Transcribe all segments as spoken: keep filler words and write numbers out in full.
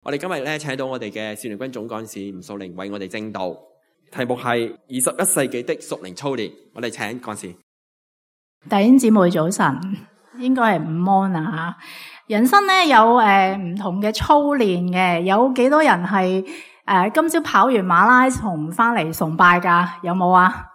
我哋今日咧請到我哋嘅少年軍總幹事吳素玲為我哋證道，題目係二十一世紀的屬靈操練。我哋請幹事。弟兄姊妹早晨，應該係午安啊吓。人生咧有誒唔同嘅操練嘅，有幾多人係誒今朝跑完馬拉松翻嚟崇拜噶？有冇啊？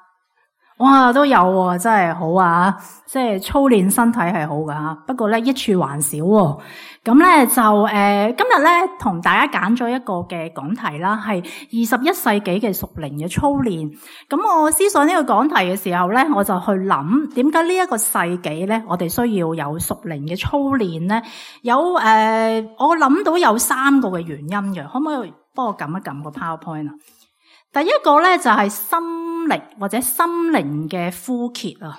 哇，都有喎，真係好啊！即係操練身體係好噶，不過咧益處還少喎。咁咧就誒、呃，今日咧同大家揀咗一個嘅講題啦，係二十一世紀嘅屬靈嘅操練。咁我思索呢個講題嘅時候咧，我就去諗點解呢一個世紀咧，我哋需要有屬靈嘅操練咧？有誒、呃，我諗到有三個嘅原因嘅，可唔可以幫我撳一撳個 PowerPoint 啊？第一個咧就係心力或者心靈嘅枯竭啊，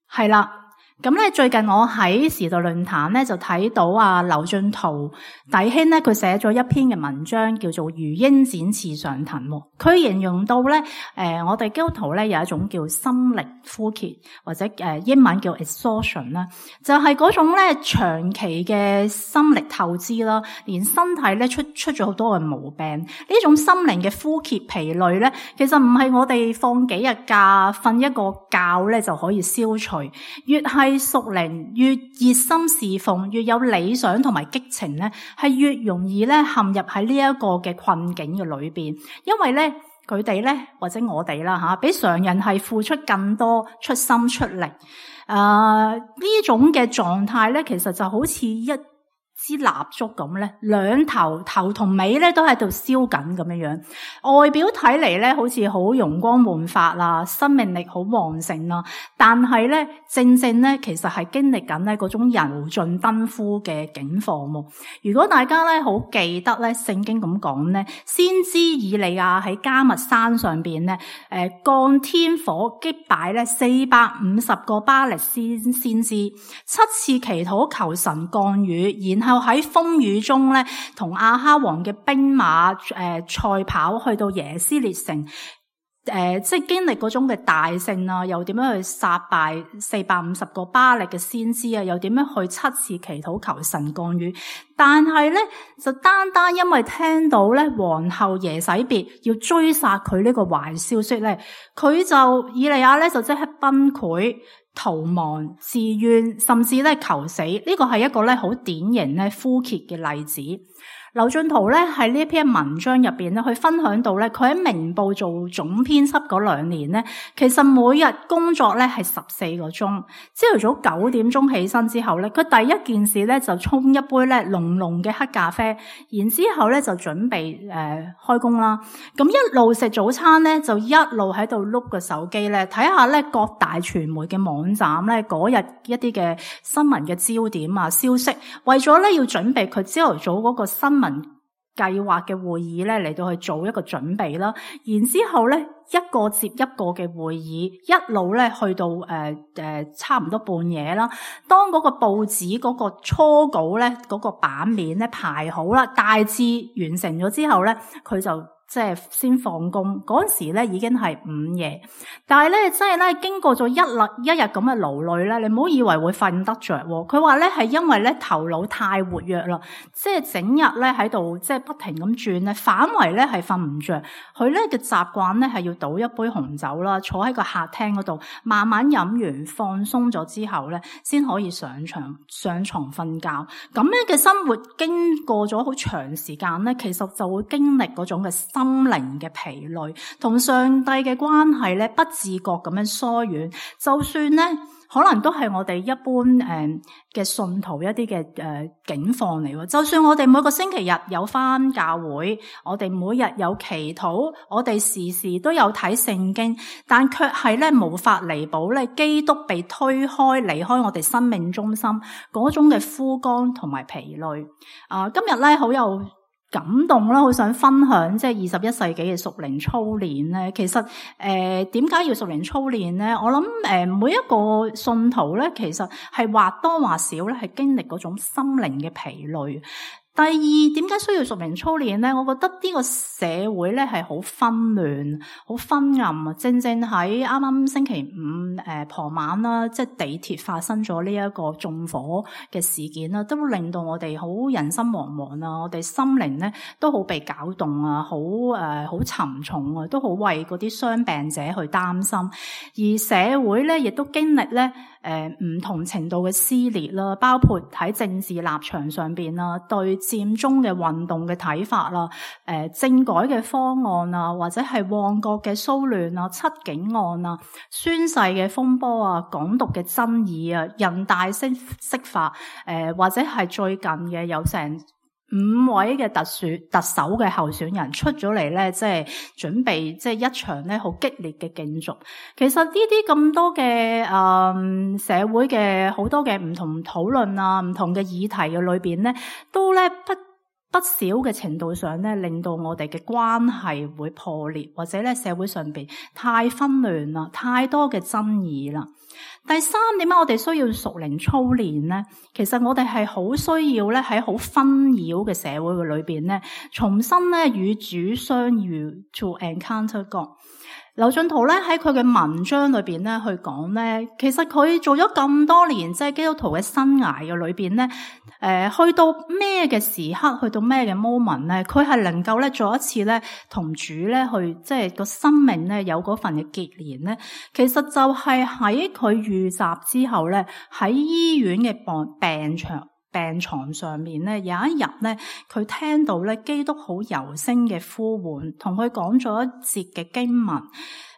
係啦。咁咧最近我喺時代論壇咧就睇到啊劉進圖弟兄咧佢寫咗一篇嘅文章叫做如鷹展翅上騰，佢形容到咧誒、呃、我哋基督徒咧有一種叫心力枯竭或者誒、呃、英文叫 exhaustion 啦，就係嗰種咧長期嘅心力透支啦，連身體咧出出咗好多嘅毛病。呢種心靈嘅枯竭疲累咧，其實唔係我哋放幾日假瞓一個覺咧就可以消除，越係屬靈越熱心侍奉，越有理想同埋激情咧，係越容易咧陷入喺呢一個嘅困境嘅裏邊。因為咧佢哋咧或者我哋啦吓，比常人係付出更多，出心出力。誒、呃、呢種嘅狀態咧，其實就好似一支蠟燭咁咧，兩頭頭同尾咧都喺度燒緊咁樣樣，外表睇嚟咧好似好容光煥發啦，生命力好旺盛啦，但係咧正正咧其實係經歷緊咧嗰種油盡燈枯嘅境況。如果大家咧好記得咧聖經咁講咧，先知以利亞喺迦密山上邊咧，誒降天火擊敗咧四百五十個巴力先先知，七次祈禱求神降雨，然後喺風雨中咧，同亞哈王嘅兵馬誒賽跑去到耶斯列城，誒、呃、即係經歷嗰種嘅大勝啊，又點樣去殺敗四百五十個巴力嘅先知啊，又點樣去七次祈禱求神降雨。但係咧就單單因為聽到咧皇后耶洗別要追殺佢呢個壞消息咧，佢就以利亞咧就即刻崩潰逃亡、自怨，甚至咧求死。呢個係一個咧好典型咧枯竭嘅例子。劉進圖咧喺呢篇文章入邊咧，去分享到咧，佢喺明報做總編輯嗰兩年咧，其實每日工作咧係十四個鐘。朝頭早九點鐘起身之後咧，佢第一件事咧就沖一杯咧濃濃嘅黑咖啡，然之後咧就準備誒、呃、開工啦。咁一路食早餐咧，就一路喺度碌個手機咧，睇下咧各大傳媒嘅網站咧嗰日一啲嘅新聞嘅焦點啊消息，為咗咧要準備佢朝頭早嗰個新聞計劃嘅會議咧嚟到去做一個準備啦，然之後咧一個接一個嘅會議，一路咧去到誒誒、呃呃、差唔多半夜啦。當嗰個報紙嗰個初稿咧嗰個版面咧排好啦，大致完成咗之後咧，佢就即係先放工。嗰陣時咧已經係午夜，但係咧即係咧經過咗一日一日咁嘅勞累咧，你唔好以為會瞓得着。佢話咧係因為咧頭腦太活躍啦，即係整日咧喺度即係不停咁轉咧，反為咧係瞓唔着。佢咧嘅習慣咧係要倒一杯紅酒啦，坐喺個客廳嗰度慢慢飲完放鬆咗之後咧，先可以上床上床瞓覺。咁樣嘅生活經過咗好長時間咧，其實就會經歷嗰種嘅心靈嘅疲累，同上帝嘅關係咧不自覺咁樣疏遠。就算咧可能都係我哋一般誒嘅、呃、信徒一啲嘅誒境況嚟喎。就算我哋每個星期日有返教會，我哋每日有祈禱，我哋時時都有睇聖經，但卻係咧無法彌補咧基督被推開離開我哋生命中心嗰種嘅枯乾同埋疲累。啊、呃，今日咧好有感動啦，好想分享即係二十一世紀嘅屬靈操練咧。其實誒點解要屬靈操練咧？我諗誒、呃、每一個信徒咧，其實係或多或少咧係經歷嗰種心靈嘅疲累。第二，點解需要屬靈操練咧？我覺得呢個社會咧係好紛亂、好昏暗啊！正正喺啱啱星期五誒、呃、傍晚啦，即係地鐵發生咗呢一個縱火嘅事件啦，都令到我哋好人心惶惶啊！我哋心靈咧都好被攪動啊，好誒好沉重啊，都好為嗰啲傷病者去擔心。而社會咧亦都經歷咧誒唔同程度嘅撕裂啦，包括喺政治立場上邊啦，對佔中嘅運動嘅睇法啦，誒、呃、政改嘅方案啊，或者係旺角嘅騷亂啊、七警案啊、宣誓嘅風波啊、港獨嘅爭議啊、人大釋釋法，誒、呃、或者係最近嘅有成五位嘅特選特首嘅候選人出咗嚟咧，即係準備即係一場咧好激烈嘅競逐。其實呢啲咁多嘅誒、嗯、社會嘅好多嘅唔同討論啊、唔同嘅議題嘅裏邊咧，都咧不不少嘅程度上咧，令到我哋嘅關係會破裂，或者咧社會上邊太紛亂啦，太多嘅爭議啦。第三，點解我哋需要屬靈操練咧？其實我哋係好需要咧喺好紛擾嘅社會嘅裏邊咧，重新咧與主相遇 ，to encounter God。劉進圖咧喺佢嘅文章裏邊咧去講咧，其實佢做咗咁多年即係基督徒嘅生涯嘅裏邊咧，誒、呃、去到咩嘅時刻，去到咩嘅 moment 咧，佢係能夠咧再一次咧同主咧去即係個生命咧有嗰份嘅結連咧，其實就係喺佢遇襲之後咧喺醫院嘅病病床病床上面咧，有一日咧，佢聽到咧基督好柔聲嘅呼喚，同佢講咗一節嘅經文。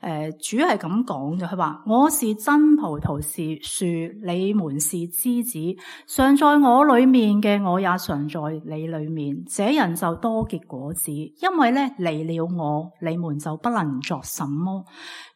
誒、呃，主係咁講嘅，佢話：我是真葡萄樹，你們是枝子，常在我裏面嘅，我也常在你裏面。這人就多結果子，因為咧離了我，你們就不能作什麼。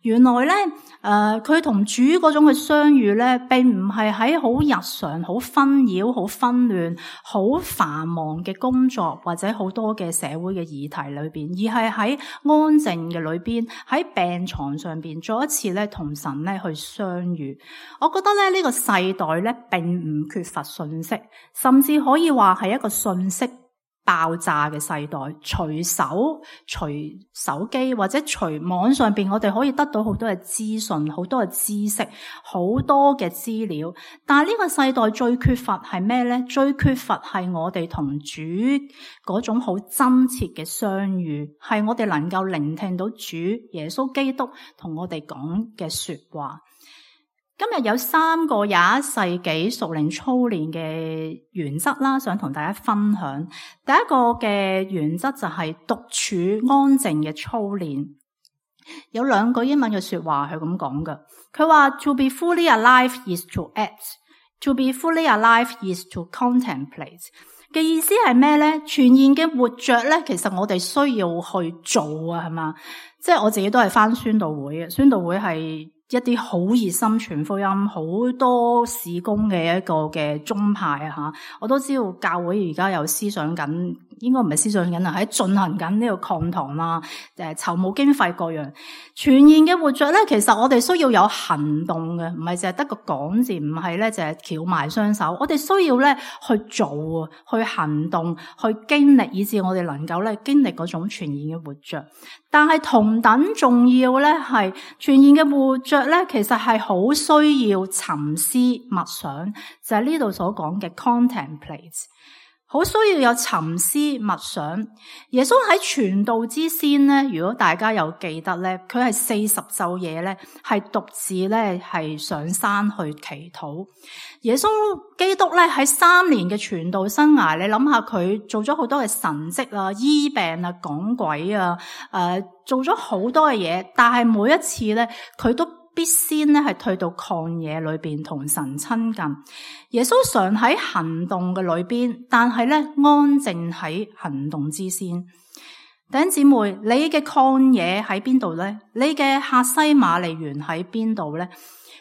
原來咧，誒、呃，佢同主嗰種嘅相遇咧，並唔係喺好日常、好紛擾、好紛亂、好繁忙嘅工作或者好多嘅社會嘅議題裏邊，而係喺安靜嘅裏邊，喺病床上邊，再一次咧同神咧去相遇。我覺得咧呢個世代咧並唔缺乏信息，甚至可以話係一個信息爆炸嘅世代，隨手隨手機或者隨網上邊，我哋可以得到好多嘅資訊，好多嘅知識，好多嘅資料。但係呢個世代最缺乏係咩咧？最缺乏係我哋同主嗰種好真切嘅相遇，係我哋能夠聆聽到主耶穌基督同我哋講嘅說話。今日有三個廿一世紀屬靈操練嘅原則啦，想同大家分享。第一個嘅原則就係獨處安靜嘅操練。有兩句英文嘅說話係咁講嘅，佢話 To be fully alive is to act, to be fully alive is to contemplate。嘅意思係咩咧？全然嘅活着咧，其實我哋需要去做啊，係嘛？即係我自己都係返宣道會嘅，宣道會係一啲好熱心傳福音、好多事工嘅一個嘅宗派啊吓，我都知道教會而家有思想緊，應該唔係思想緊啊，喺進行緊呢個抗堂啦，誒籌募經費各樣。全然嘅活着咧，其實我哋需要有行動嘅，唔係淨係得個講字，唔係咧淨係翹埋雙手，我哋需要咧去做啊，去行動，去經歷，以致我哋能夠咧經歷嗰種全然嘅活着。但係同等重要咧，係全然嘅活着咧，其實係好需要沉思默想，就係呢度所講嘅 contemplate， 好需要有沉思默想。耶穌喺傳道之先咧，如果大家有記得咧，佢係四十晝夜咧，係獨自咧係上山去祈禱。耶穌基督咧喺三年嘅傳道生涯，你諗下佢做咗好多嘅神蹟啊、醫病啊、趕鬼啊，誒、呃，做咗好多嘅嘢，但係每一次咧，佢都必先咧係退到曠野裏邊同神親近。耶穌常喺行動嘅裏邊，但係咧安靜喺行動之先。弟兄姊妹，你嘅曠野喺邊度咧？你嘅客西馬尼園喺邊度咧？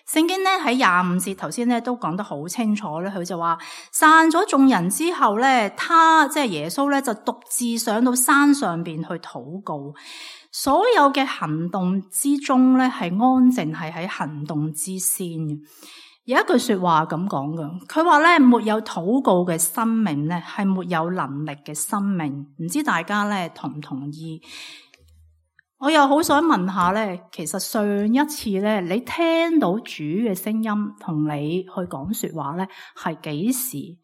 聖經咧喺廿五節頭先咧都講得好清楚咧，佢就話散咗眾人之後咧，他即係耶穌咧就獨自上到山上邊去禱告。所有嘅行動之中咧係安靜，係喺行動之先嘅。有一句說話咁講嘅，佢話咧，沒有禱告嘅生命咧，係沒有能力嘅生命。唔知大家咧同唔同意？我又好想問下咧，其實上一次咧，你聽到主嘅聲音同你去講說話咧，係幾時？誒、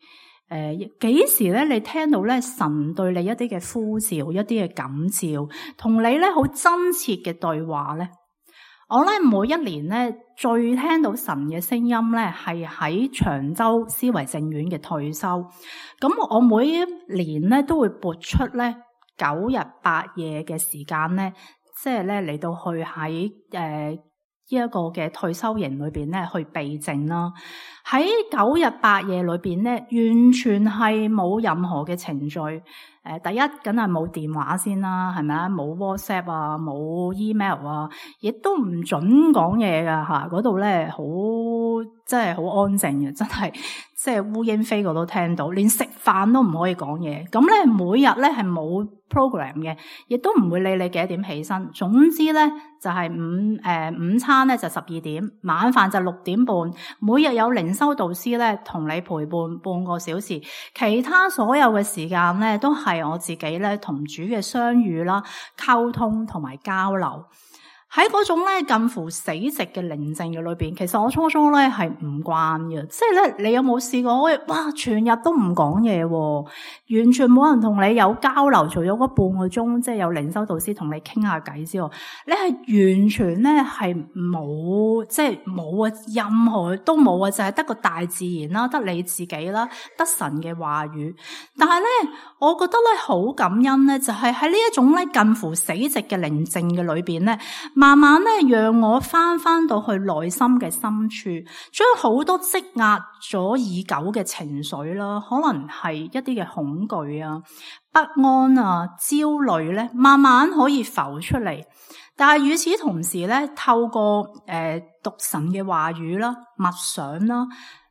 呃，幾時咧？你聽到咧神對你一啲嘅呼召，一啲嘅感召，同你咧好真切嘅對話咧？我咧每一年咧最聽到神嘅聲音咧，係喺長洲思維正院嘅退休。咁我每一年咧都會撥出咧九日八夜嘅時間咧，即係咧嚟到去喺誒呢一個嘅退休營裏邊咧去避靜啦。喺九日八夜裏邊咧，完全係冇任何嘅程序。誒，第一梗係冇電話先啦，係咪啊？冇 WhatsApp 啊，冇 email 啊，亦都唔准講嘢噶吓。嗰度咧好，真係好安靜嘅，真係即係烏蠅飛過都聽到，連食飯都唔可以講嘢。咁咧每日咧係冇 program 嘅，亦都唔會理你幾多點起身。總之咧就係午誒午餐咧就十二點，晚飯就六點半。每日有靈修導師咧同你陪伴半個小時，其他所有嘅時間咧都係我自己咧同主嘅相遇啦、溝通同埋交流。喺嗰種咧近乎死寂嘅寧靜嘅裏邊，其實我初初咧係唔慣嘅，即係咧你有冇試過？哇，全日都唔講嘢，完全冇人同你有交流，除咗嗰半個鐘，即係有靈修導師同你傾下偈之外，你係完全咧係冇，即係冇啊，任何都冇啊，就係得個大自然啦，得你自己啦，得神嘅話語。但係咧，我覺得咧好感恩咧，就係喺呢一種咧近乎死寂嘅寧靜嘅裏邊咧。慢慢咧，讓我翻翻到去內心嘅深處，將好多積壓咗已久嘅情緒啦，可能係一啲嘅恐懼啊、不安啊、焦慮咧，慢慢可以浮出嚟。但係與此同時咧，透過誒、呃、讀神嘅話語啦、默想啦、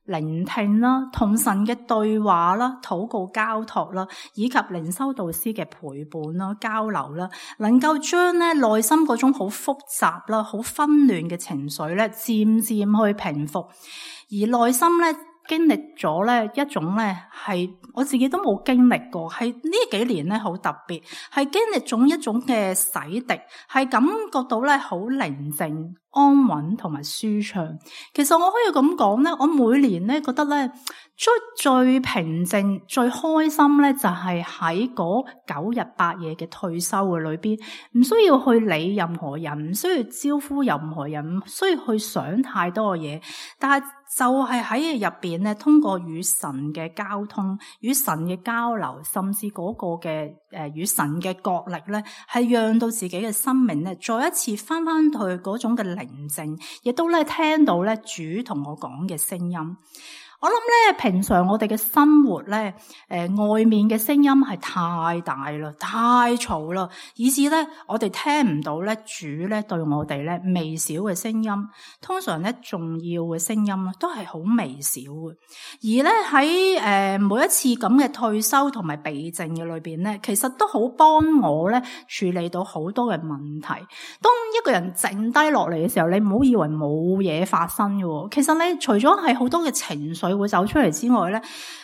聆聽啦、同神嘅對話啦、禱告交託啦，以及靈修導師嘅陪伴啦、交流啦，能夠將咧內心嗰種好複雜啦、好紛亂嘅情緒咧，漸漸去平復，而內心咧經歷咗咧一種咧係我自己都冇經歷過，係呢幾年咧好特別，係經歷咗一種嘅洗滌，係感覺到咧好寧靜、安穩同埋舒暢。其實我可以咁講咧，我每年咧覺得咧最最平靜、最開心咧，就係喺嗰九日八夜嘅退休嘅裏邊，唔需要去理任何人，唔需要招呼任何人，唔需要去想太多嘅嘢，但係就係喺入邊咧，通過與神嘅交通、與神嘅交流，甚至嗰個嘅誒與神嘅角力咧，係讓到自己嘅生命咧，再一次翻翻去嗰種嘅寧靜，亦都咧聽到咧主同我講嘅聲音。我諗咧，平常我哋嘅生活咧，誒、呃，外面嘅聲音係太大啦，太嘈啦，以至咧我哋聽唔到咧主咧對我哋咧微小嘅聲音。通常咧重要嘅聲音咧都係好微小嘅。而咧喺誒每一次咁嘅退休同埋避靜嘅裏邊咧，其實都好幫我咧處理到好多嘅問題。當一個人靜低落嚟嘅時候，你唔好以為冇嘢發生嘅，其實你除咗係好多嘅情緒會走出嚟之外咧，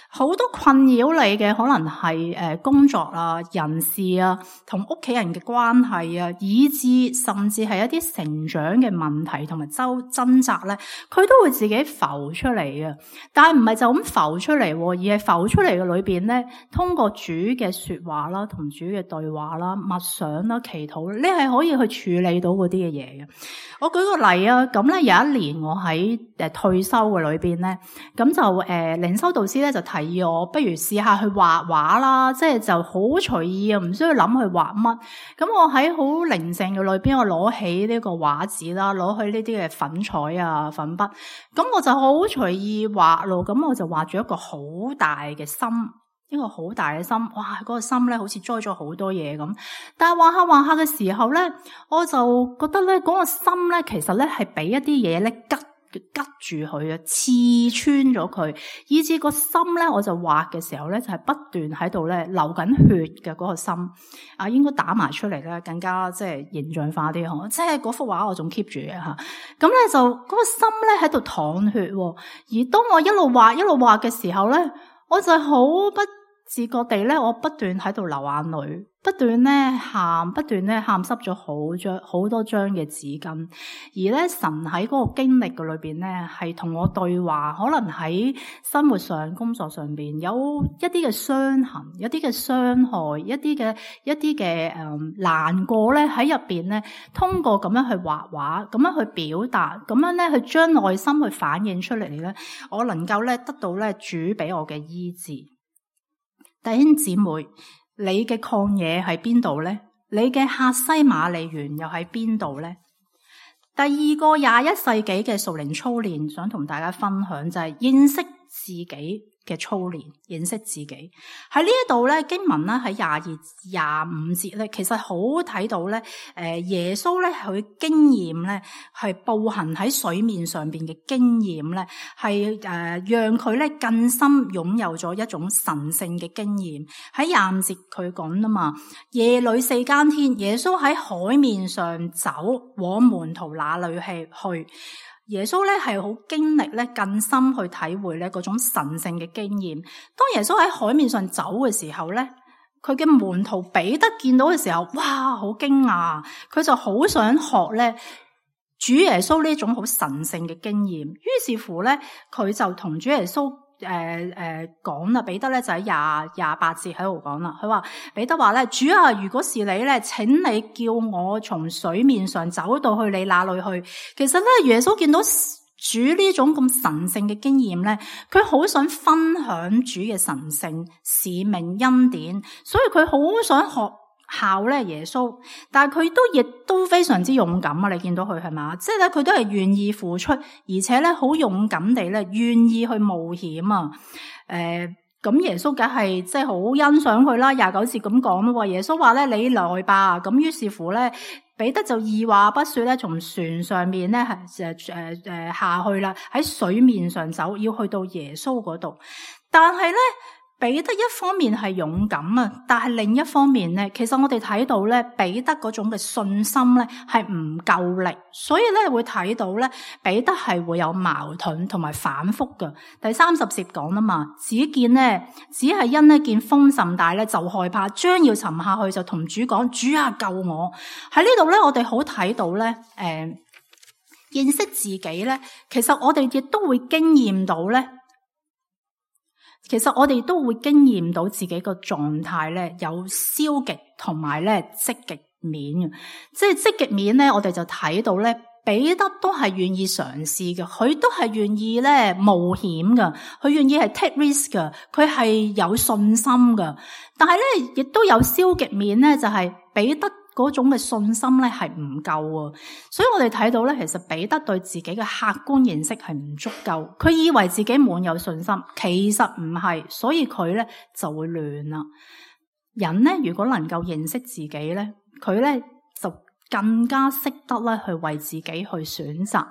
好多困擾你嘅可能係誒工作啊、人事啊、同屋企人嘅關係啊，以至甚至係一啲成長嘅問題同埋周掙扎咧，佢都會自己浮出嚟嘅。但係唔係就咁浮出嚟，而係浮出嚟嘅裏邊咧，通過主嘅說話啦、同主嘅對話啦、默想啦、祈禱，你係可以去處理到嗰啲嘅嘢嘅。我舉個例啊，咁咧有一年我喺誒退休嘅裏邊咧，咁就誒靈修導師咧就提議我不如試下去畫畫啦，即係就好隨意啊，唔需要諗去畫乜。咁我喺好寧靜嘅裏邊，我攞起呢個畫紙啦，攞去呢啲嘅粉彩啊、粉筆，咁我就好隨意畫咯。咁我就畫住一個好大嘅心，一個好大嘅心，哇！嗰個心咧好似栽咗好多嘢咁。但係畫下畫下嘅時候咧，我就覺得咧嗰個心咧其實咧係俾一啲嘢咧吉吉住佢啊，刺穿咗佢，以至個心咧，我就畫嘅時候咧，就係不斷喺度咧流緊血嘅嗰個心啊，應該打埋出嚟咧，更加即係形象化啲嗬。即係嗰幅畫我仲 keep 住嘅吓，咁咧就嗰個心咧喺度淌血，而當我一路畫一路畫嘅時候咧，我就好不自覺地咧，我不斷喺度流眼淚，不斷咧喊，不斷咧喊濕咗好張好多張嘅紙巾。而咧神喺嗰個經歷嘅裏邊咧，係同我對話，可能喺生活上、工作上邊有一啲嘅傷痕，一啲嘅傷害，一啲嘅一啲嘅誒難過咧喺入邊咧，通過咁樣去畫畫，咁樣去表達，咁樣咧去將內心去反映出嚟咧，我能夠咧得到咧主俾我嘅醫治。弟兄姊妹，你嘅曠野喺邊度呢？你嘅客西馬尼園又喺邊度呢？第二個廿一世紀嘅屬靈操練，想同大家分享就係認識自己嘅操練，認識自己喺呢一度咧，經文咧喺廿二、廿五節咧，其實好睇到咧，誒耶穌咧佢經驗咧係步行喺水面上邊嘅經驗咧，係誒讓佢咧更深擁有咗一種神聖嘅經驗。喺廿五節佢講啊嘛，夜裏四更天，耶穌喺海面上走，往門徒那裏去去。耶穌咧係好經歷咧更深去體會咧嗰種神聖嘅經驗。當耶穌喺海面上走嘅時候咧，佢嘅門徒彼得見到嘅時候，哇，好驚訝，佢就好想學咧主耶穌呢種好神聖嘅經驗。於是乎咧，佢就同主耶穌誒誒講啦，彼得咧就喺廿廿八節喺度講啦。佢話彼得話咧，主啊，如果是你咧，請你叫我從水面上走到去你那裏去。其實咧，耶穌見到主呢種咁神聖嘅經驗咧，佢好想分享主嘅神聖使命恩典，所以佢好想學效咧耶穌，但係佢都亦都非常之勇敢啊！你見到佢係嘛？即係咧，佢都係願意付出，而且咧好勇敢地咧願意去冒險啊！誒、呃，咁耶穌梗係即係好欣賞佢啦。廿九節咁講咯，耶穌話咧，你來吧。咁於是乎咧，彼得就二話不說咧，從船上面咧係誒誒誒下去啦，喺水面上走，要去到耶穌嗰度。但係咧，彼得一方面係勇敢啊，但係另一方面咧，其實我哋睇到咧，彼得嗰種嘅信心咧係唔夠力，所以咧會睇到咧，彼得係會有矛盾同埋反覆嘅。第三十節講啊嘛，只見咧，只係因呢見風甚大咧，就害怕，將要沉下去，就同主講：主啊，救我！喺呢度咧，我哋好睇到咧，誒、呃，認識自己咧，其實我哋亦都會經驗到咧。其實我哋都會經驗到自己個狀態咧，有消極同埋咧積極面嘅。即係積極面咧，我哋就睇到咧，彼得都係願意嘗試嘅，佢都係願意咧冒險嘅，佢願意係 take risk 嘅，佢係有信心嘅。但係咧，亦都有消極面咧，就係彼得嗰種嘅信心咧係唔夠啊，所以我哋睇到咧，其實彼得對自己嘅客觀認識係唔足夠，佢以為自己滿有信心，其實唔係，所以佢咧就會亂啦。人咧如果能夠認識自己咧，佢咧就更加識得咧去為自己去選擇。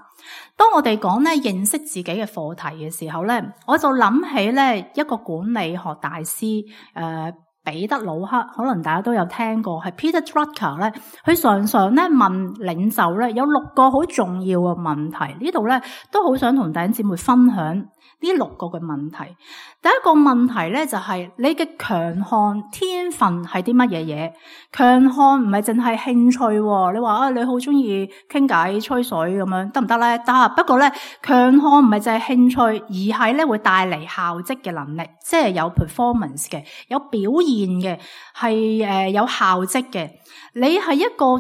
當我哋講咧認識自己嘅課題嘅時候咧，我就諗起咧一個管理學大師誒。呃彼得魯克，可能大家都有聽過，係 Peter Drucker 咧，佢常常咧問領袖咧有六個好重要嘅問題，呢度咧都好想同弟兄姊妹分享呢六個嘅問題。第一個問題咧就係、是、你嘅強項天分係啲乜嘢嘢？強項唔係淨係興趣，你話啊你好中意傾偈吹水咁樣得唔得咧？得，不過咧強項唔係淨係興趣，而係咧會帶嚟效績嘅能力，即係有 performance 嘅，有表現嘅，係誒有效績嘅。你係一個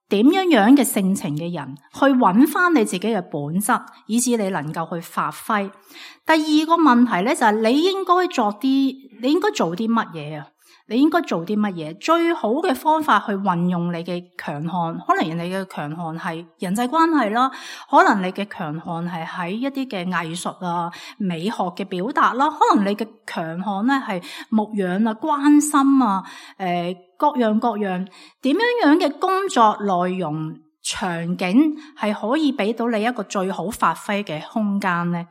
點樣樣嘅性情嘅人，去揾翻你自己嘅本質，以致你能夠去發揮。第二個問題咧就係你應該做啲，你應該做啲乜嘢啊？你應該做啲乜嘢？最好嘅方法去運用你嘅強項，可能你嘅強項係人際關係啦，可能你嘅強項係喺一啲嘅藝術啊、美學嘅表達啦，可能你嘅強項咧係牧養啊、關心啊、誒、呃、各樣各樣點樣樣嘅工作內容場景係可以俾到你一個最好發揮嘅空間呢？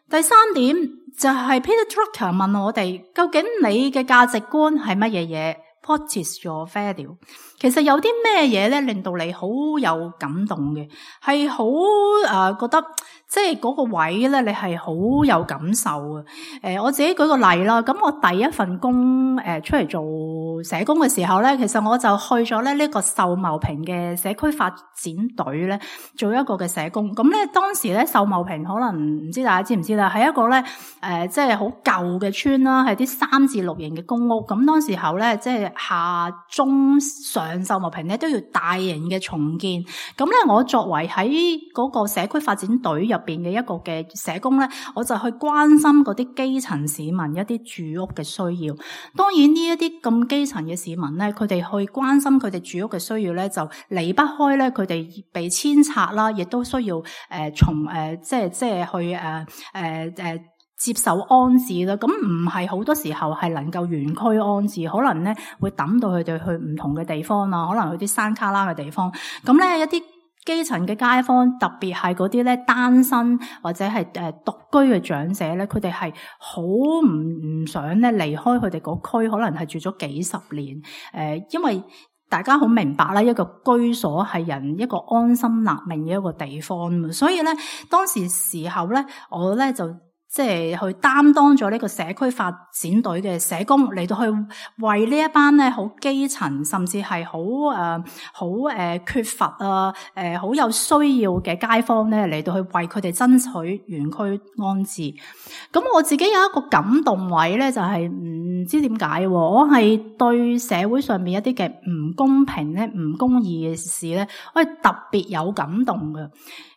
第三點就係 Peter Drucker 問我哋，究竟你嘅價值觀係乜嘢嘢？ What is your value？ 其實有啲咩嘢咧令到你好有感動嘅，係好誒覺得即係嗰個位咧，你係好有感受嘅。誒、呃，我自己舉個例啦，咁我第一份工誒、呃、出嚟做社工嘅時候咧，其實我就去咗咧呢個秀茂坪嘅社區發展隊咧做一個嘅社工。咁咧當時咧秀茂坪可能唔知大家知唔知啦，係一個咧誒即係好舊嘅村啦，係啲三至六型嘅公屋。咁當時候咧即係下中上秀茂坪咧都要大型嘅重建。咁咧我作為喺嗰個社區發展隊入邊嘅一個嘅社工咧，我就去關心嗰啲基層市民一啲住屋嘅需要。當然呢一啲咁基層嘅市民咧，佢哋去關心佢哋住屋嘅需要咧，就離不開咧佢哋被遷拆啦，亦都需要誒、呃、從誒、呃、即係即係去誒誒誒接受安置啦。咁唔係好多時候係能夠原區安置，可能咧會抌到佢哋去唔同嘅地方啊，可能去啲山卡拉嘅地方。咁咧一啲基層嘅街坊，特別係嗰啲咧單身或者係誒獨居嘅長者咧，佢哋係好唔唔想咧離開佢哋嗰區，可能係住咗幾十年。誒、呃，因為大家好明白啦，一個居所係人一個安心立命嘅一個地方，所以咧當時時候咧，我咧就即係去擔當咗呢個社區發展隊嘅社工，嚟到去為呢一班咧好基層，甚至係好誒好誒缺乏啊誒好有需要嘅街坊咧，嚟到去為佢哋爭取原區安置。咁我自己有一個感動位咧，就係唔知點解，我係對社會上面一啲嘅唔公平咧、唔公義嘅事咧，我係特別有感動嘅。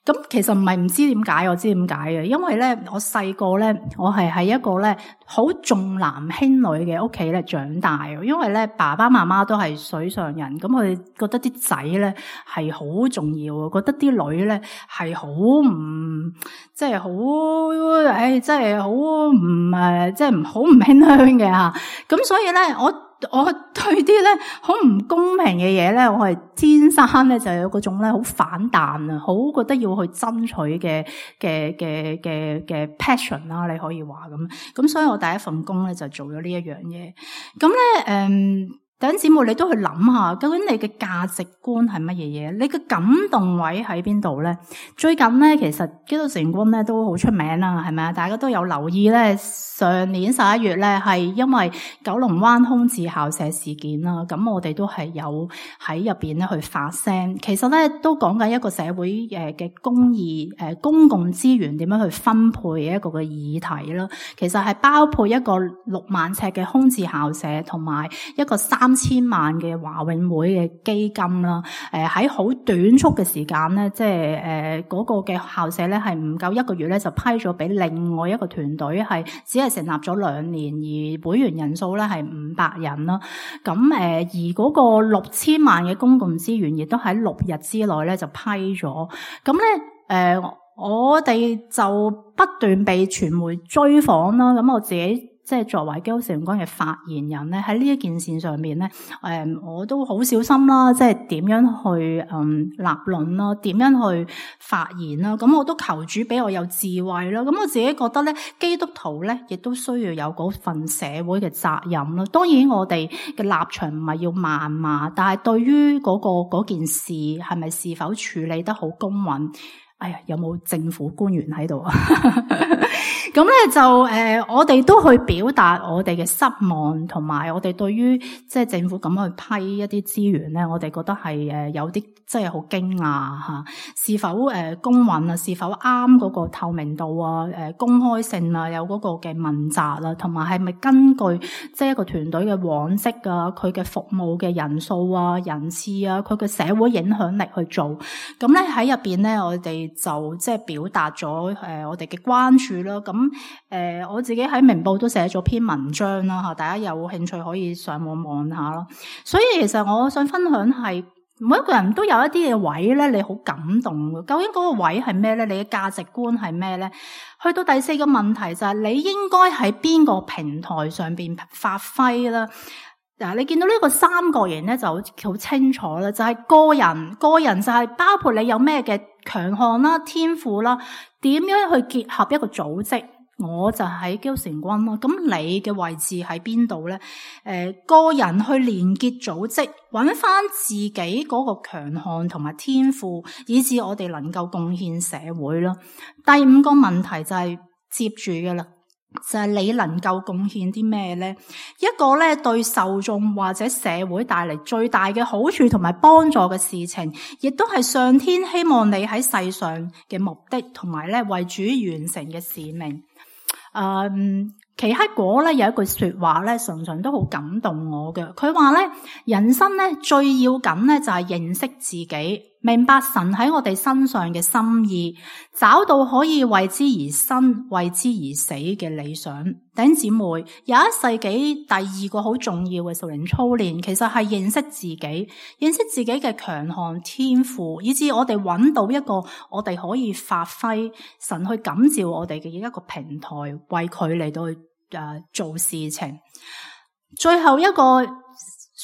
咁其實唔係唔知點解，我知點解嘅，因為咧我細個咧，我係喺一個咧好重男輕女嘅屋企咧長大，因為咧爸爸媽媽都係水上人，咁佢哋覺得啲仔咧係好重要，覺得啲女咧係好唔即係好，誒即係好唔誒即係唔好唔馨香嘅吓，咁所以咧我。我對啲咧好唔公平嘅嘢咧，我係天生咧就有嗰種咧好反彈啊，好覺得要去爭取嘅嘅嘅嘅嘅 passion 啦，你可以話咁。咁所以我第一份工咧就做咗呢一樣嘢。咁咧誒。弟兄姊妹，你都去諗下，究竟你嘅價值觀係乜嘢嘢？你嘅感動位喺邊度咧？最近咧，其實基督成軍咧都好出名啦，係咪啊？大家都有留意咧，上年十一月咧係因為九龍灣空置校舍事件啦，咁我哋都係有喺入邊咧去發聲。其實咧都講緊一個社會誒嘅公義誒公共資源點樣去分配嘅一個嘅議題啦。其實係包括一個六萬尺嘅空置校舍，同埋一個三千萬嘅華永會嘅基金啦，誒喺好短促嘅時間咧，即係誒嗰個嘅校舍咧係唔夠一個月咧就批咗俾另外一個團隊，係只係成立咗兩年，而會員人數咧係五百人啦。咁誒而嗰個六千萬嘅公共資源亦都喺六日之內咧就批咗。咁咧誒我哋就不斷被傳媒追訪啦。咁我自己即係作為基督成軍嘅發言人咧，喺呢一件事上面咧，誒、嗯，我都好小心啦，即係點樣去嗯立論啦，點樣去發言啦，咁我都求主俾我有智慧啦。咁我自己覺得咧，基督徒咧亦都需要有嗰份社會嘅責任啦。當然我哋嘅立場唔係要謾罵，但係對於嗰個嗰件事係咪是否處理得好公允？哎呀，有冇政府官員喺度啊？咁咧就誒、呃，我哋都去表達我哋嘅失望，同埋我哋對於即係政府咁樣去批一啲資源咧，我哋覺得係誒有啲即係好驚訝吓，是否誒、呃、公允啊？是否啱嗰個透明度啊？誒、呃、公開性啊？有嗰個嘅問責啦，同埋係咪根據即係一個團隊嘅往績啊？佢嘅服務嘅人數啊、人次啊、佢嘅社會影響力去做？咁咧喺入邊咧，我哋就即係表達咗誒我哋嘅關注啦。咁誒、呃、我自己喺明報都寫咗篇文章啦嚇，大家有興趣可以上網望下咯。所以其實我想分享係每一個人都有一啲嘅位咧，你好感動嘅。究竟嗰個位係咩咧？你嘅價值觀係咩咧？去到第四個問題就係、是、你應該喺邊個平台上邊發揮啦？嗱，你見到呢個三角形咧就好清楚啦，就係個人，個人就係包括你有咩嘅強項啦、天賦啦，點樣去結合一個組織。我就喺基督成軍咯，咁你嘅位置喺邊度咧？誒、呃，個人去連結組織，揾翻自己嗰個強項同埋天賦，以致我哋能夠貢獻社會咯。第五個問題就係接住嘅啦，就係、是、你能夠貢獻啲咩咧？一個咧對受眾或者社會帶嚟最大嘅好處同埋幫助嘅事情，亦都係上天希望你喺世上嘅目的，同埋咧為主完成嘅使命。誒、嗯，奇克果咧有一句說話咧，常常都好感動我嘅。佢話咧，人生咧最要緊咧就係認識自己，明白神喺我哋身上嘅心意，找到可以為之而生、為之而死嘅理想。弟兄姊妹，廿一世紀第二個好重要嘅屬靈操練，其實係認識自己，認識自己嘅強項天賦，以至我哋揾到一個我哋可以發揮神去感召我哋嘅一個平台，為佢嚟到去誒做事情。最後一個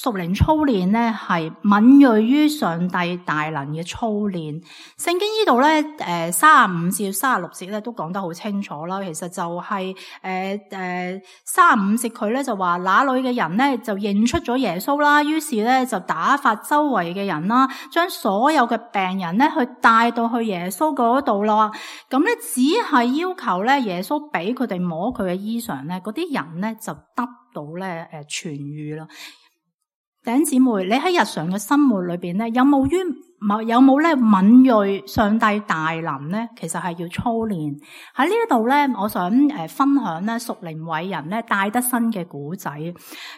屬靈操練咧係敏銳於上帝大能嘅操練。聖經呢度咧，誒三十五至三十六節咧都講得好清楚啦。其實就係誒誒三十五節佢咧就話，那裏嘅人咧就認出咗耶穌啦，於是咧就打發周圍嘅人啦，將所有嘅病人咧去帶到去耶穌嗰度啦。咁咧只係要求咧耶穌俾佢哋摸佢嘅衣裳咧，嗰啲人咧就得到咧誒痊癒啦。弟兄姊妹，你喺日常嘅生活裏邊咧，有冇於有冇咧敏銳上帝大能咧？其實係要操練。喺呢一度咧，我想誒分享咧屬靈偉人咧戴德生嘅古仔。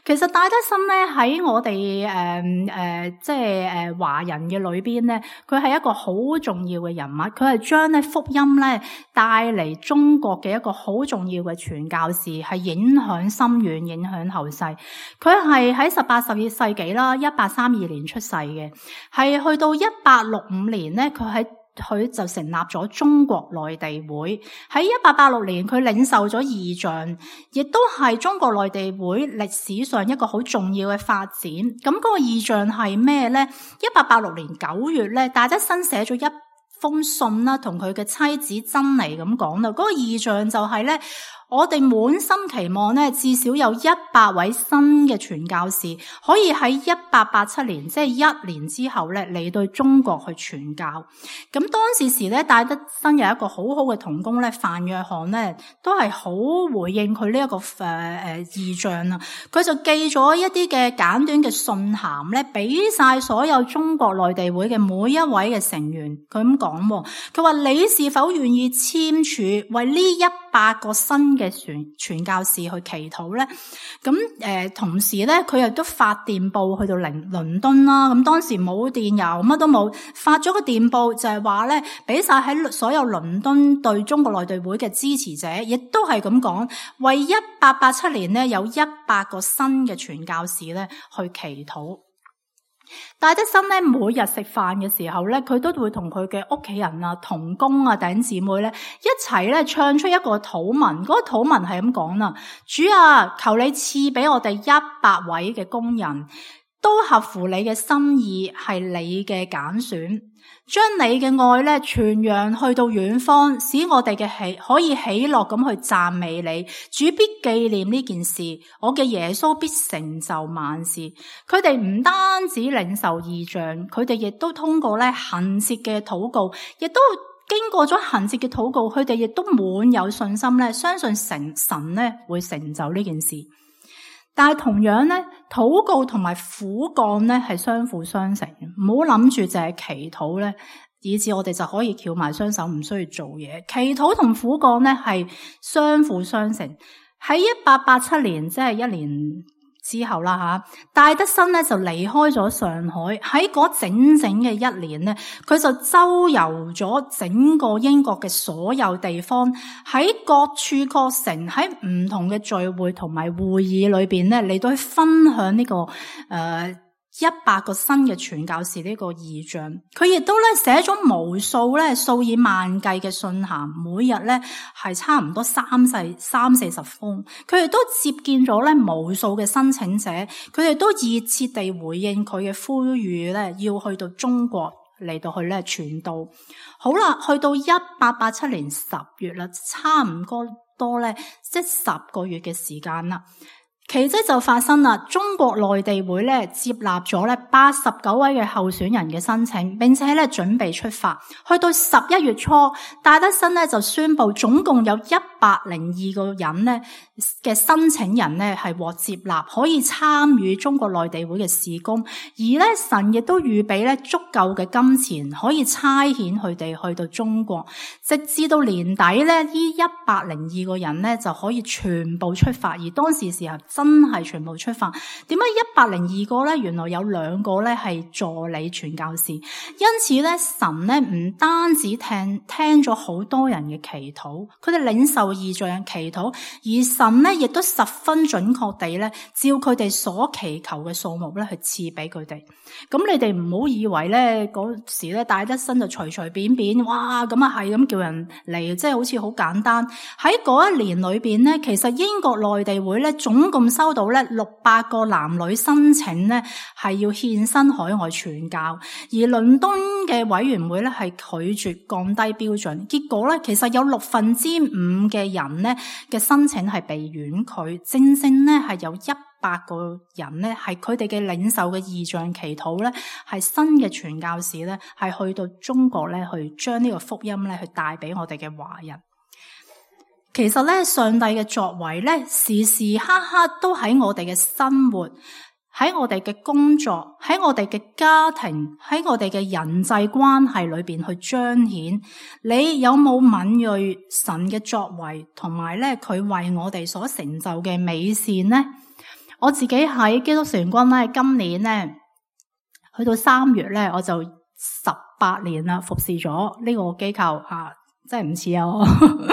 其實戴德生咧喺我哋誒誒即係誒華人嘅裏邊咧，佢係一個好重要嘅人物。佢係將咧福音咧帶嚟中國嘅一個好重要嘅傳教士，係影響深遠，影響後世。佢係喺十八、十二世紀啦，一八三二年出世嘅，係去到一八六五年咧，佢喺佢就成立咗中國內地會。喺一八八六年，佢領受咗異象，亦都係中國內地會歷史上一個好重要嘅發展。咁嗰個異象係咩咧？一八八六年九月咧，戴德生寫咗一封信啦，同佢嘅妻子珍妮咁講啦。嗰個異象就係咧，我哋滿心期望咧，至少有一百位新嘅傳教士可以喺一八八七年，即係一年之後咧，嚟到中國去傳教。咁當時時咧，戴德生有一個好好嘅同工咧，范約翰咧，都係好回應佢呢一個誒誒異象啊。佢就寄咗一啲嘅簡短嘅信函咧，俾晒所有中國內地會嘅每一位嘅成員。佢咁講，佢話你是否願意簽署為呢一百個新嘅傳傳教士去祈禱咧？咁誒、呃，同時咧，佢亦都發電報去到倫倫敦啦。咁當時冇電郵，乜都冇，發咗個電報就係話咧，俾晒喺所有倫敦對中國內地會嘅支持者，亦都係咁講，為一八八七年咧有一百個新嘅傳教士咧去祈禱。戴德生咧每日食飯嘅時候咧，佢都會同佢嘅屋企人啊、同工啊、弟兄姊妹咧一齊咧唱出一個禱文。嗰個禱文係咁講啦：主啊，求你賜俾我哋一百位嘅工人，都合乎你嘅心意，係你嘅揀選。將你嘅愛咧傳揚去到遠方，使我哋嘅喜可以喜樂咁去讚美你。主必紀念呢件事，我嘅耶穌必成就萬事。佢哋唔單止領受異象，佢哋亦都通過咧恆切嘅禱告，亦都經過咗恆切嘅禱告，佢哋亦都滿有信心咧，相信神神咧會成就呢件事。但係同樣咧，禱告同埋苦幹咧係相輔相成嘅。唔好諗住就係祈禱咧，以致我哋就可以翹埋雙手唔需要做嘢。祈禱同苦幹咧係相輔相成。喺一八八七年，即係一年之後啦吓，戴德生咧就離開咗上海。喺嗰整整嘅一年咧，佢就周遊咗整個英國嘅所有地方，喺各處各城，喺唔同嘅聚會同埋會議裏邊咧嚟到去分享呢、這個誒、呃、一百個新嘅傳教士呢個異象。佢亦都咧寫咗無數咧數以萬計嘅信函，每日咧係差唔多三四三四十封。佢哋都接見咗咧無數嘅申請者，佢哋都熱切地回應佢嘅呼籲咧，要去到中國嚟到去咧傳道。好啦，去到一八八七年十月啦，差唔多多咧即係十個月嘅時間啦。奇蹟就發生啦！中國內地會咧接納咗咧八十九位嘅候選人嘅申請，並且咧準備出發。去到十一月初，戴德生咧就宣布，總共有一百零二個人咧嘅申請人咧係獲接納，可以參與中國內地會嘅事工。而咧神亦都預備咧足夠嘅金錢，可以差遣佢哋去到中國。直至到年底咧，呢一百零二個人咧就可以全部出發。而當時時候，真係全部出發。點解一百零二個咧？原來有兩個咧係助理傳教士。因此咧，神咧唔單止聽聽咗好多人嘅祈禱，佢哋領受異象嘅祈禱，而神咧亦都十分準確地咧，照佢哋所祈求嘅數目咧去賜俾佢哋。咁你哋唔好以為咧嗰時咧戴德生就隨隨便便，哇咁啊係咁叫人嚟，即係好似好簡單。喺嗰一年裏邊咧，其實英國內地會咧總共收到咧六百個男女申請咧，係要獻身海外傳教，而倫敦嘅委員會咧係拒絕降低標準，結果咧其實有六分之五嘅人咧嘅申請係被婉拒，正正咧係有一百個人咧係佢哋嘅領受嘅異象祈禱咧，係新嘅傳教士咧係去到中國咧去將呢個福音咧去帶俾我哋嘅華人。其實咧，上帝嘅作為咧，時時刻刻都喺我哋嘅生活，喺我哋嘅工作，喺我哋嘅家庭，喺我哋嘅人際關係裏邊去彰顯。你有冇敏銳神嘅作為，同埋咧佢為我哋所成就嘅美善呢？我自己喺基督少年軍咧，今年咧去到三月咧，我就十八年啦，服侍咗呢個機構吓，真係唔似啊！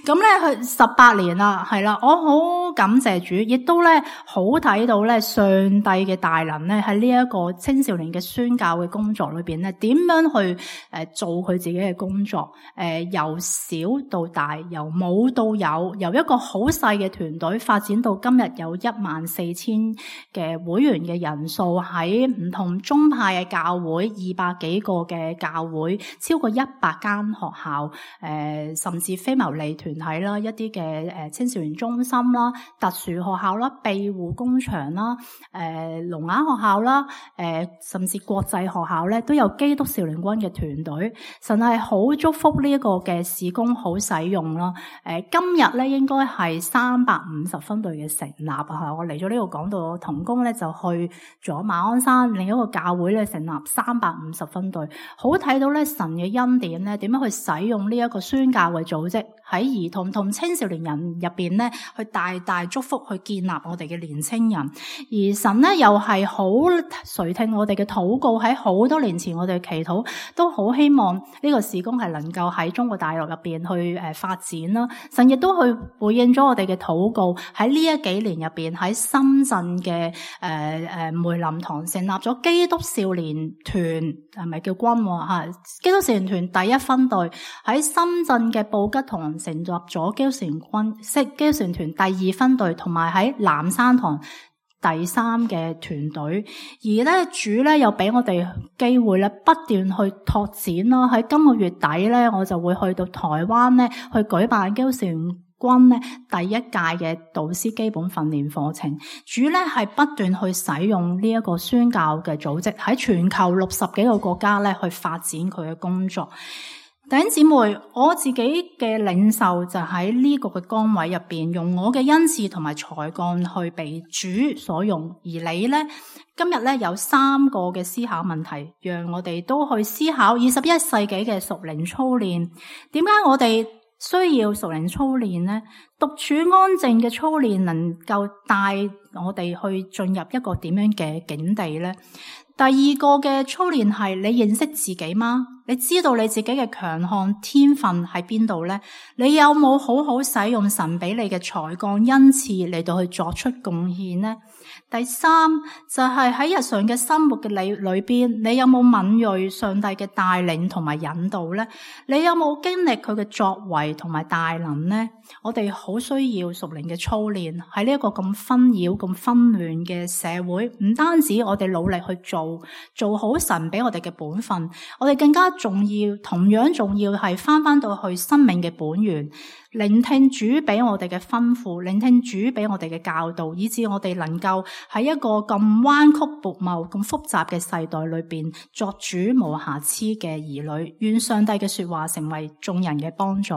咁咧，去十八年啦，係啦，我好感謝主，亦都咧好睇到咧上帝嘅大能咧喺呢一個青少年嘅宣教嘅工作裏邊咧，點樣去誒做佢自己嘅工作？誒由小到大，由冇到有，由一個好細嘅團隊發展到今日有一萬四千嘅會員嘅人數，喺唔同宗派嘅教會，二百幾個嘅教會，超過一百間學校，誒甚至非牟利團團體啦，一啲嘅誒青少年中心啦、特殊學校啦、庇護工場啦、誒聾啞學校啦、誒、呃、甚至國際學校咧，都有基督少年軍嘅團隊。神係好祝福呢一個嘅事工好使用啦。誒、呃、今日咧應該係三百五十分隊嘅成立啊！我嚟咗呢度講到同工咧就去咗馬鞍山另一個教會咧成立三百五十分隊，好睇到咧神嘅恩典咧點樣去使用呢一個宣教嘅組織喺兒童同青少年人入邊咧，去大大祝福去建立我哋嘅年青人。而神咧又係好垂聽我哋嘅禱告，喺好多年前我哋嘅祈禱都好希望呢個事工係能夠喺中國大陸入邊去誒發展啦。神亦都去回應咗我哋嘅禱告，喺呢一幾年入邊喺深圳嘅誒誒梅林堂成立咗基督少年團，係咪叫軍吓？基督少年團第一分隊喺深圳嘅布吉堂成立咗基督少年軍，即基督少年團第二分隊，同埋喺南山堂第三嘅團隊。而咧主咧又俾我哋機會咧不斷去拓展啦。喺今個月底咧，我就會去到台灣咧去舉辦基督少年軍咧第一屆嘅導師基本訓練課程。主咧係不斷去使用呢一個宣教嘅組織，喺全球六十幾個國家咧去發展佢嘅工作。弟兄姊妹，我自己嘅領袖就喺呢個嘅崗位入邊，用我嘅恩賜同埋才幹去被主所用。而你呢，今日呢有三個嘅思考問題，讓我哋都去思考二十一世紀嘅屬靈操練。點解我哋需要屬靈操練呢？獨處安靜嘅操練能夠帶我哋去進入一個點樣嘅境地呢？第二個嘅操練係你認識自己嗎？你知道你自己嘅強項天分喺邊度呢？你有冇好好使用神俾你嘅才幹恩賜嚟到去作出貢獻呢？第三就係、是、喺日常嘅生活嘅裏裏邊，你有冇敏銳上帝嘅帶領同埋引導呢？你有冇經歷佢嘅作為同埋大能呢？我哋好需要屬靈嘅操練，喺呢一個咁紛擾、咁紛亂嘅社會，唔單止我哋努力去做做好神俾我哋嘅本分，我哋更加重要，同樣重要係翻翻到去生命嘅本源，聆聽主俾我哋嘅吩咐，聆聽主俾我哋嘅教導，以致我哋能夠喺一個咁彎曲悖謬、咁複雜嘅世代裏邊，作主無瑕疵嘅兒女。願上帝嘅說話成為眾人嘅幫助。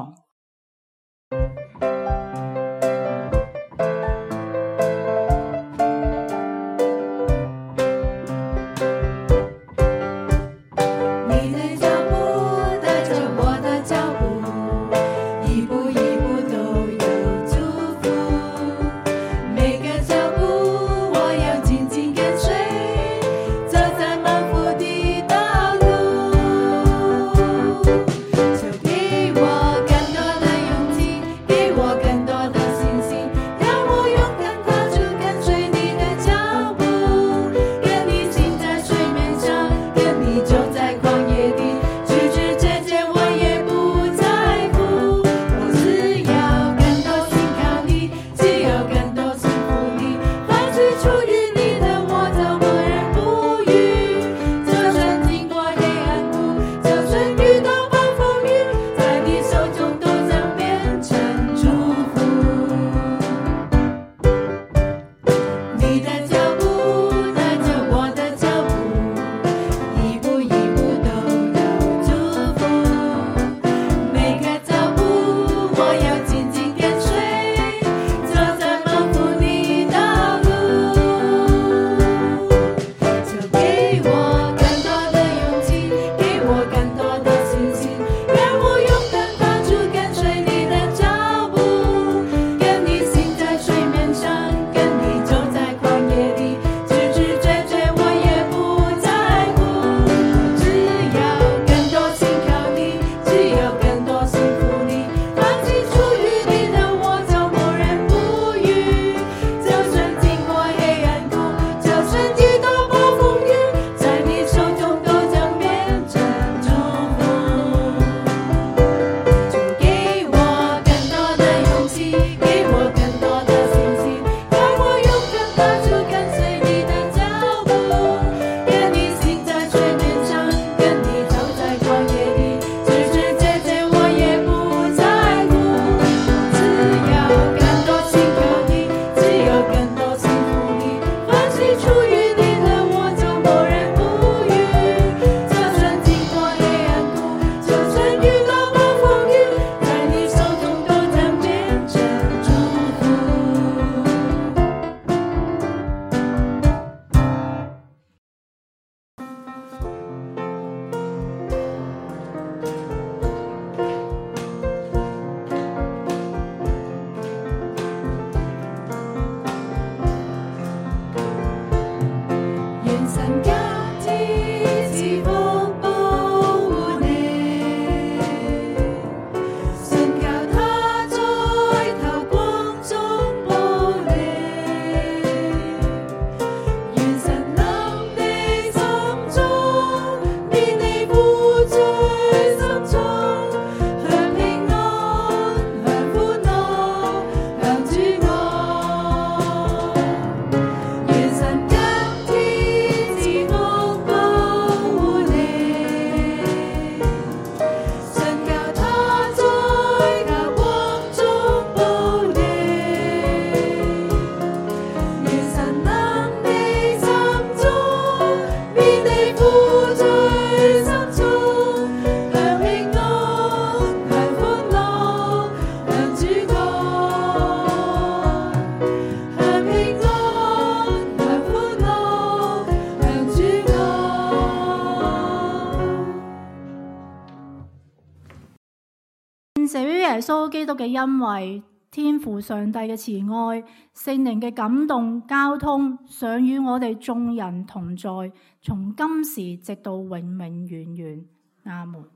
謝於耶穌基督嘅恩惠、天父上帝嘅慈愛、聖靈嘅感動交通，想與我哋眾人同在，從今時直到永永遠遠。阿門。